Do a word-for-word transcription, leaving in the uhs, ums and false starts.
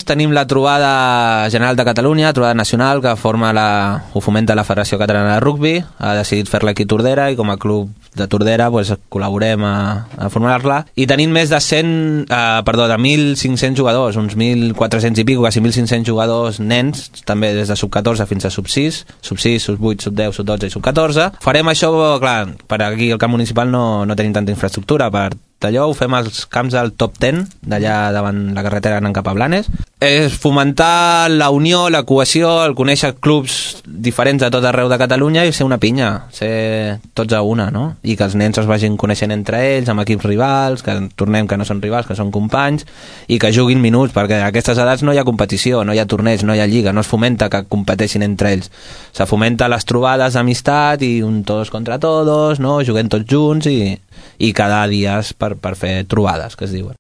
Tenim la trobada general de Catalunya, trobada nacional, que forma la, ho fomenta la Federació Catalana de Rugbi, ha decidit fer-la aquí a Tordera i com a club de Tordera pues, col·laborem a, a formar-la. I tenim més de cent, eh, perdó, de mil cinc-cents jugadors, uns mil quatre-cents i pico, quasi mil cinc-cents jugadors nens, també des de sub catorze fins a sub sis, sub sis, sub vuit, sub deu, sub dotze i sub catorze. Farem això, clar, per aquí al camp municipal no, no tenim tanta infraestructura, per allò ho fem als camps del top deu, d'allà davant la carretera anant cap a Blanes. És fomentar la unió, la cohesió, el conèixer clubs diferents de tot arreu de Catalunya i ser una pinya, ser tots a una, no? I que els nens es vagin coneixent entre ells, amb equips rivals, que tornem que no són rivals, que són companys, i que juguin minuts, perquè a aquestes edats no hi ha competició, no hi ha torneig, no hi ha lliga, no es fomenta que competeixin entre ells. Se fomenta les trobades d'amistat i un todos contra todos, no? Juguem tots junts i, i cada dia per, per fer trobades, que es diuen.